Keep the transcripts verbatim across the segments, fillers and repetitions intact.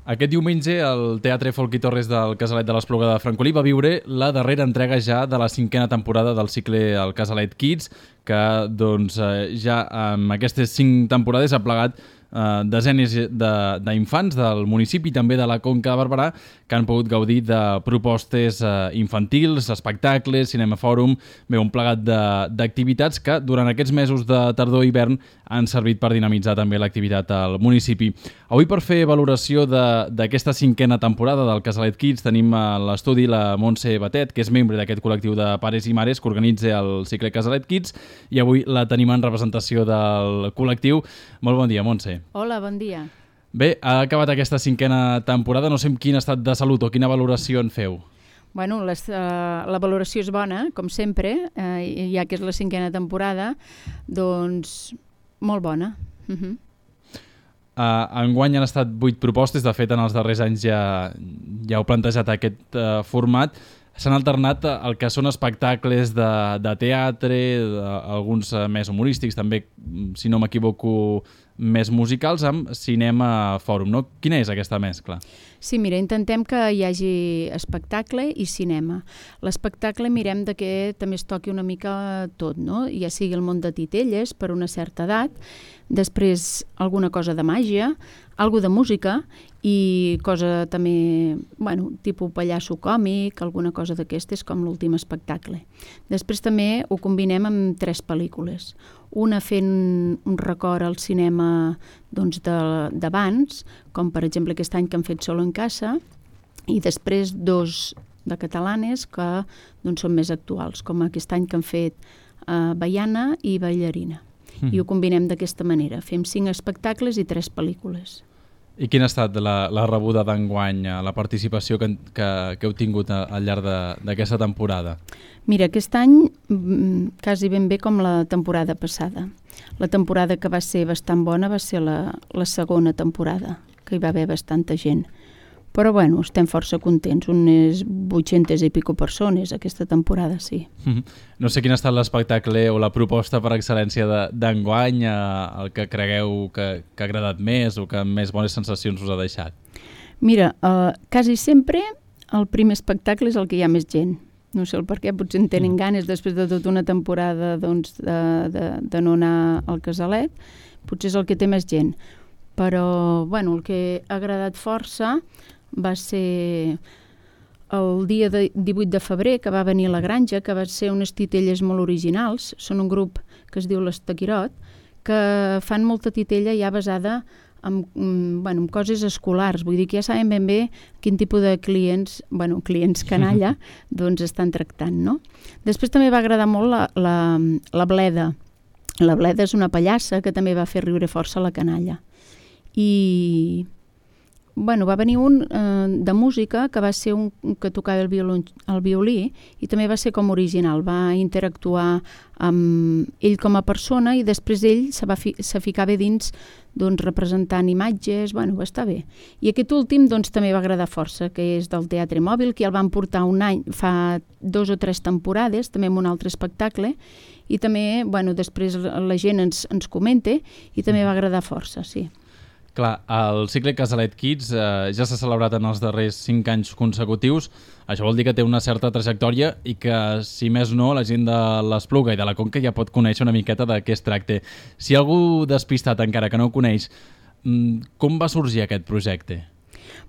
Aquest diumenge el Teatre Folch i Torres del Casalet de l'Espluga de Francolí va viure la darrera entrega ja de la cinquena temporada del cicle El Casalet Kids, que doncs, ja amb aquestes cinc temporades ha plegat eh, desenes d'infants de, del municipi i també de la Conca de Barberà que han pogut gaudir de propostes eh, infantils, espectacles, cinemafòrum, bé, un plegat d'activitats que durant aquests mesos de tardor i hivern han servit per dinamitzar també l'activitat al municipi. Avui, per fer valoració d'aquesta cinquena temporada del Casalet Kids, tenim a l'estudi la Montse Batet, que és membre d'aquest col·lectiu de pares i mares que organitza el cicle Casalet Kids, i avui la tenim en representació del col·lectiu. Molt bon dia, Montse. Hola, bon dia. Bé, ha acabat aquesta cinquena temporada, no sé en quin estat de salut o quina valoració en feu. Bueno, les, uh, la valoració és bona, com sempre, uh, ja que és la cinquena temporada, doncs molt bona. Uh -huh. uh, enguany han estat vuit propostes, de fet en els darrers anys ja, ja heu plantejat aquest uh, format. S'han alternat el que són espectacles de, de teatre, de, alguns més humorístics, també, si no m'equivoco, més musicals, amb cinema fòrum, no? Quina és aquesta mescla? Sí, mira, intentem que hi hagi espectacle i cinema. L'espectacle mirem de que també es toqui una mica tot, no? Ja sigui el món de titelles per una certa edat, després alguna cosa de màgia, algo de música i cosa també, bueno, tipus pallasso còmic, alguna cosa d'aquestes com l'últim espectacle. Després també ho combinem amb tres pel·lícules. Una fent un record al cinema doncs, d'abans, com per exemple aquest any que han fet Solo en casa, i després dos de catalanes que doncs, són més actuals, com aquest any que han fet uh, Baiana i Ballarina. Mm. I ho combinem d'aquesta manera. Fem cinc espectacles i tres pel·lícules. I quina ha estat la, la rebuda d'enguany, la participació que, que, que heu tingut al llarg d'aquesta temporada? Mira, aquest any quasi ben bé com la temporada passada. La temporada que va ser bastant bona va ser la, la segona temporada, que hi va haver bastanta gent. Però bueno, estem força contents, unes vuit-centes i pico persones aquesta temporada, sí. No sé quin ha estat l'espectacle o la proposta per excel·lència d'enguany, el que cregueu que, que ha agradat més o que més bones sensacions us ha deixat. Mira, uh, quasi sempre el primer espectacle és el que hi ha més gent. No sé el per què, potser en tenen ganes després de tota una temporada doncs, de, de, de no anar al Casalet, potser és el que té més gent. Però bueno, el que ha agradat força va ser el dia de divuit de febrer, que va venir a la Granja, que va ser unes titelles molt originals. Són un grup que es diu l'Estaquirot, que fan molta titella ja basada en, bueno, en coses escolars. Vull dir que ja saben ben bé quin tipus de clients, bueno, clients canalla, doncs estan tractant, no? Després també va agradar molt la, la, la Bleda. La Bleda és una pallassa que també va fer riure força la canalla. I bueno, va venir un eh, de música que va ser un que tocava el violí, el violí i també va ser com original, va interactuar amb ell com a persona i després ell se, va fi, se ficava dins doncs, representant imatges, bueno, va estar bé. I aquest últim doncs, també va agradar força, que és del Teatre Mòbil, que ja el van portar un any, fa dos o tres temporades, també amb un altre espectacle, i també, bueno, després la gent ens, ens comenta i també va agradar força, sí. Clar, el cicle Casalet Kids eh, ja s'ha celebrat en els darrers cinc anys consecutius. Això vol dir que té una certa trajectòria i que, si més no, la gent de l'Espluga i de la Conca ja pot conèixer una miqueta de què es tracta. Si algú despistat encara que no ho coneix, com va sorgir aquest projecte?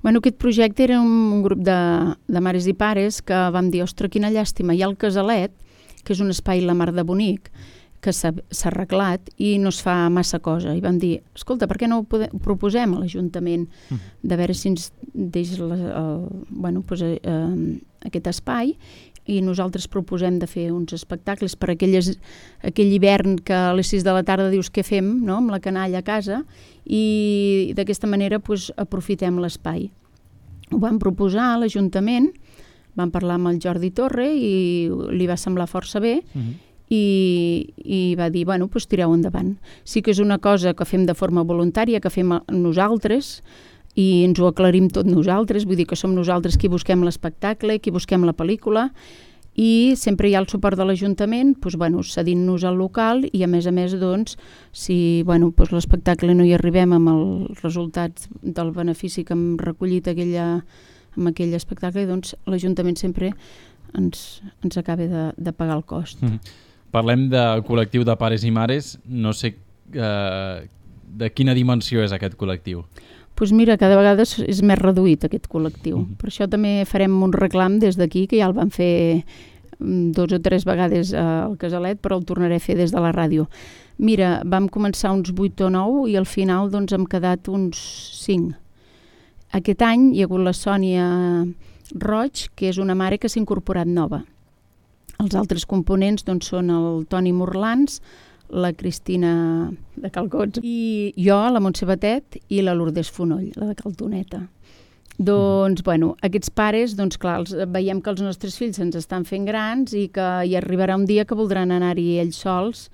Bueno, aquest projecte era un grup de, de mares i pares que vam dir, ostres, quina llàstima, hi ha el Casalet, que és un espai la mar de bonic, que s'ha arreglat i no es fa massa cosa. I vam dir, escolta, per què no ho, podem, ho proposem a l'Ajuntament de veure si ens deixa la, el, bueno, pues, eh, aquest espai i nosaltres proposem de fer uns espectacles per aquelles, aquell hivern que a les sis de la tarda dius què fem, no?, amb la canalla a casa, i d'aquesta manera pues, aprofitem l'espai. Ho vam proposar a l'Ajuntament, vam parlar amb el Jordi Torre i li va semblar força bé, uh-huh. I, i va dir, bueno, doncs tireu endavant. Sí que és una cosa que fem de forma voluntària, que fem nosaltres, i ens ho aclarim tot nosaltres, vull dir que som nosaltres qui busquem l'espectacle, qui busquem la pel·lícula, i sempre hi ha el suport de l'Ajuntament, doncs, bueno, cedint-nos al local i, a més a més, doncs, si bueno, doncs, l'espectacle no hi arribem amb els resultats del benefici que hem recollit aquella, amb aquell espectacle, doncs l'Ajuntament sempre ens, ens acaba de, de pagar el cost. Mm. Parlem de col·lectiu de pares i mares, no sé eh, de quina dimensió és aquest col·lectiu. Doncs mira, cada vegada és més reduït aquest col·lectiu. Mm-hmm. Per això també farem un reclam des d'aquí, que ja el vam fer dos o tres vegades al Casalet, però el tornaré a fer des de la ràdio. Mira, vam començar uns vuit o nou i al final doncs, hem quedat uns cinc. Aquest any hi ha hagut la Sònia Roig, que és una mare que s'ha incorporat nova. Els altres components doncs, són el Toni Morlans, la Cristina de Calcots i jo, la Montse Batet i la Lourdes Fonoll, la de Caltoneta. Doncs, bueno, aquests pares, doncs clar, els, veiem que els nostres fills ens estan fent grans i que hi arribarà un dia que voldran anar-hi ells sols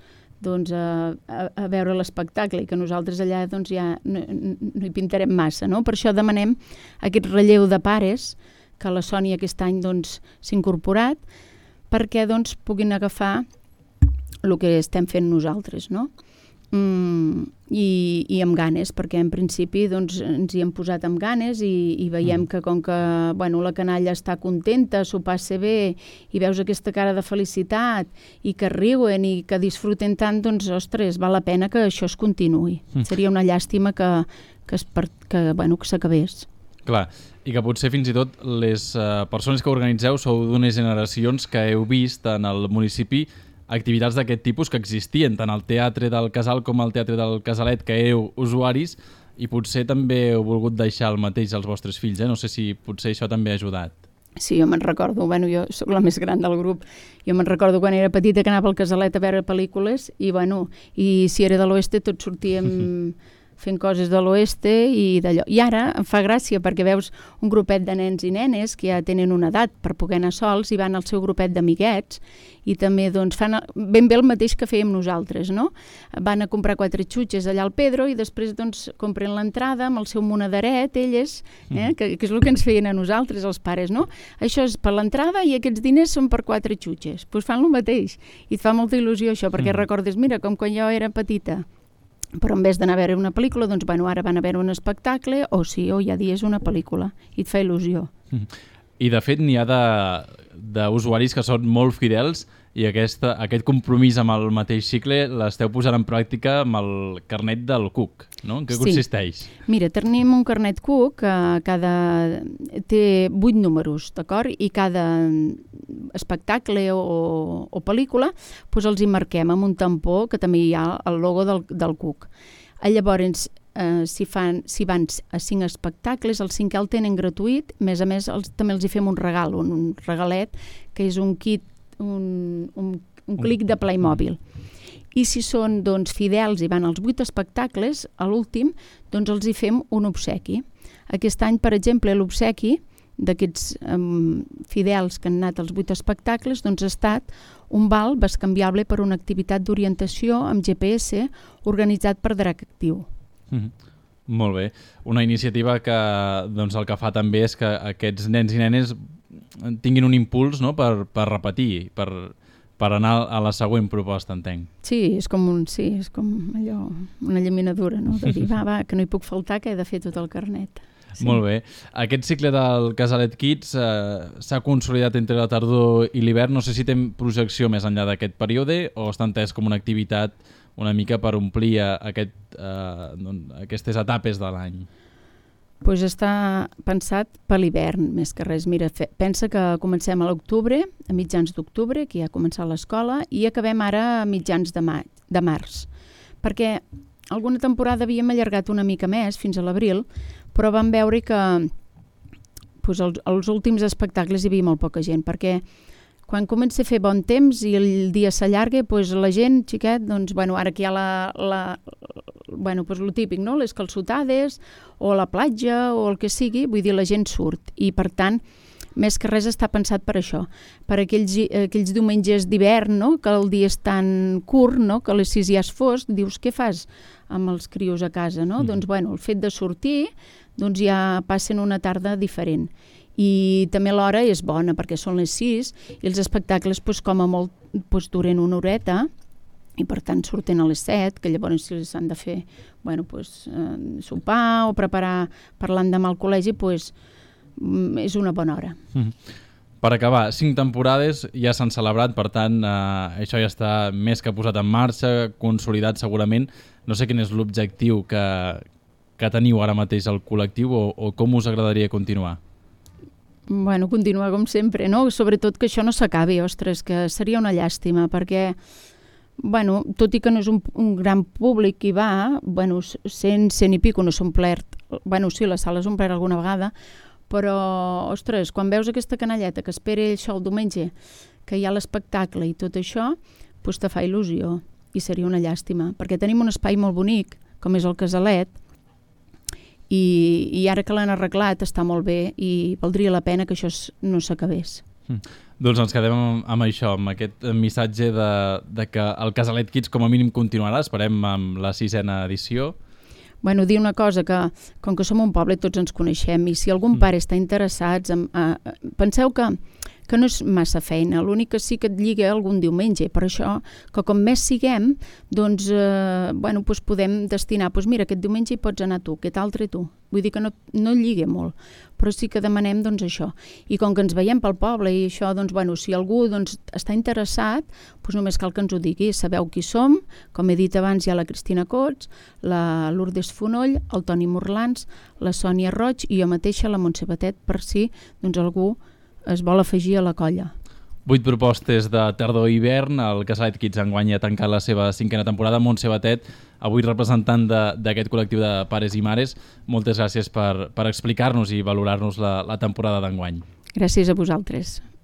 doncs, a, a, a veure l'espectacle i que nosaltres allà doncs, ja no, no hi pintarem massa, no? Per això demanem aquest relleu de pares que la Sònia aquest any doncs, s'ha incorporat perquè doncs, puguin agafar el que estem fent nosaltres, no? Mm, i, i amb ganes, perquè en principi doncs, ens hi hem posat amb ganes i, i veiem que com que bueno, la canalla està contenta, s'ho passa bé i veus aquesta cara de felicitat i que riuen i que disfruten tant, doncs, ostres, val la pena que això es continuï. Mm. Seria una llàstima que, que, es per, que, bueno, que s'acabés. Clar, i que potser fins i tot les uh, persones que organitzeu sou d'unes generacions que heu vist en el municipi activitats d'aquest tipus que existien tant al Teatre del Casal com al Teatre del Casalet, que éreu usuaris i potser també heu volgut deixar el mateix als vostres fills, eh? No sé si potser això també ha ajudat. Sí, jo me'n recordo, bueno, jo sóc la més gran del grup, jo me'n recordo quan era petita que anava al Casalet a veure pel·lícules i, bueno, i si era de l'oeste tots sortíem fent coses de l'oeste i d'allò. I ara em fa gràcia perquè veus un grupet de nens i nenes que ja tenen una edat per poder anar sols i van al seu grupet d'amiguets i també doncs, fan ben bé el mateix que fèiem nosaltres, no? Van a comprar quatre xutxes allà al Pedro i després doncs, compren l'entrada amb el seu monederet, elles, eh? que, que és el que ens feien a nosaltres, els pares, no? Això és per l'entrada i aquests diners són per quatre xutxes. Doncs pues fan el mateix i et fa molta il·lusió això perquè mm. recordes, mira, com quan jo era petita, però en vez d'anar a veure una pel·lícula, doncs bueno, ara van a veure un espectacle o sí, o hi ha dies una pel·lícula i et fa il·lusió. I de fet n'hi ha d'usuaris que són molt fidels i aquesta, aquest compromís amb el mateix cicle l'esteu posant en pràctica amb el carnet del Cook, no? En què sí. consisteix? Mira, tenim un carnet Cook que cada... té vuit números, d'acord? I cada espectacle o, o pel·lícula doncs els hi marquem amb un tampó que també hi ha el logo del, del Cook. Llavors, eh, si, fan, si van a cinc espectacles, el cinquè el tenen gratuït, a més a més els, també els hi fem un regal, un, un regalet, que és un kit, un, un, un clic de Playmobil. I si són doncs, fidels i van als vuit espectacles, a l'últim, doncs els hi fem un obsequi. Aquest any, per exemple, l'obsequi d'aquests um, fidels que han anat als vuit espectacles doncs ha estat un val bescanviable per una activitat d'orientació amb G P S organitzat per Drac Actiu. Mm-hmm. Molt bé. Una iniciativa que doncs, el que fa també és que aquests nens i nenes tinguin un impuls, no? per, per repetir, per, per anar a la següent proposta, entenc. Sí, és com, un, sí, és com allò, una llaminadura, no? De dir, va, va, que no hi puc faltar, que he de fer tot el carnet. Sí. Molt bé. Aquest cicle del Casalet Kids eh, s'ha consolidat entre la tardor i l'hivern. No sé si té projecció més enllà d'aquest període o està entès com una activitat una mica per omplir aquest, eh, doncs, aquestes etapes de l'any. Pues està pensat per l'hivern, més que res. Mira, fe, pensa que comencem a l'octubre, a mitjans d'octubre, que ja ha començat l'escola, i acabem ara a mitjans de, maig, de març. Perquè alguna temporada havíem allargat una mica més, fins a l'abril, però vam veure que pues, els, els últims espectacles hi havia molt poca gent, perquè quan comença a fer bon temps i el dia s'allarga, pues, la gent, xiquet, doncs, bueno, ara que hi ha la, la, bueno, pues, lo típic, no? Les calçotades, o la platja, o el que sigui, vull dir, la gent surt. I, per tant, més que res està pensat per això, per aquells, aquells diumenges d'hivern, no? Que el dia és tan curt, no? Que a les sis ja és fosc, dius, què fas amb els crios a casa, no? Mm. Doncs, bueno, el fet de sortir, doncs ja passen una tarda diferent. i també l'hora és bona perquè són les sis i els espectacles doncs, com a molt doncs, duren una horeta i per tant surten a les set, que llavors si s'han de fer bueno, doncs, eh, sopar o preparar per l'endemà al col·legi, doncs, és una bona hora. Mm. Per acabar, cinc temporades ja s'han celebrat, per tant, eh, això ja està més que posat en marxa, consolidat segurament. No sé quin és l'objectiu que, que teniu ara mateix al col·lectiu o, o com us agradaria continuar? Bueno, continuar com sempre, no? Sobretot que això no s'acabi, ostres, que seria una llàstima, perquè bueno, tot i que no és un, un gran públic que hi va, bueno, cent, cent i pico no s'ha omplert, bueno, sí, la sala s'ha omplert alguna vegada, però, ostres, quan veus aquesta canalleta que espera això el diumenge, que hi ha l'espectacle i tot això, doncs te fa il·lusió i seria una llàstima, perquè tenim un espai molt bonic, com és el Casalet, i, i ara que l'han arreglat està molt bé i valdria la pena que això no s'acabés. Mm. Doncs ens quedem amb, amb això, amb aquest missatge de, de que el Casalet Kids com a mínim continuarà, esperem amb la sisena edició. Bueno, dir una cosa, que com que som un poble tots ens coneixem i si algun pare està interessat, en, eh, penseu que, que no és massa feina, l'únic que sí que et lliga algun diumenge, per això que com més siguem, doncs, eh, bueno, doncs podem destinar, doncs mira, aquest diumenge hi pots anar tu, aquest altre tu. Vull dir que no, no lliga molt, però sí que demanem doncs, això. I com que ens veiem pel poble i això, doncs, bueno, si algú doncs, està interessat, doncs només cal que ens ho digui. Sabeu qui som, com he dit abans, hi ha la Cristina Cots, la Lourdes Fonoll, el Toni Morlans, la Sònia Roig i jo mateixa, la Montse Batet, per si doncs, algú es vol afegir a la colla. Vuit propostes de tardor i hivern. El Casalet Kids enguany ha tancat la seva cinquena temporada. Montse Batet, avui representant d'aquest col·lectiu de pares i mares, moltes gràcies per, per explicar-nos i valorar-nos la, la temporada d'enguany. Gràcies a vosaltres.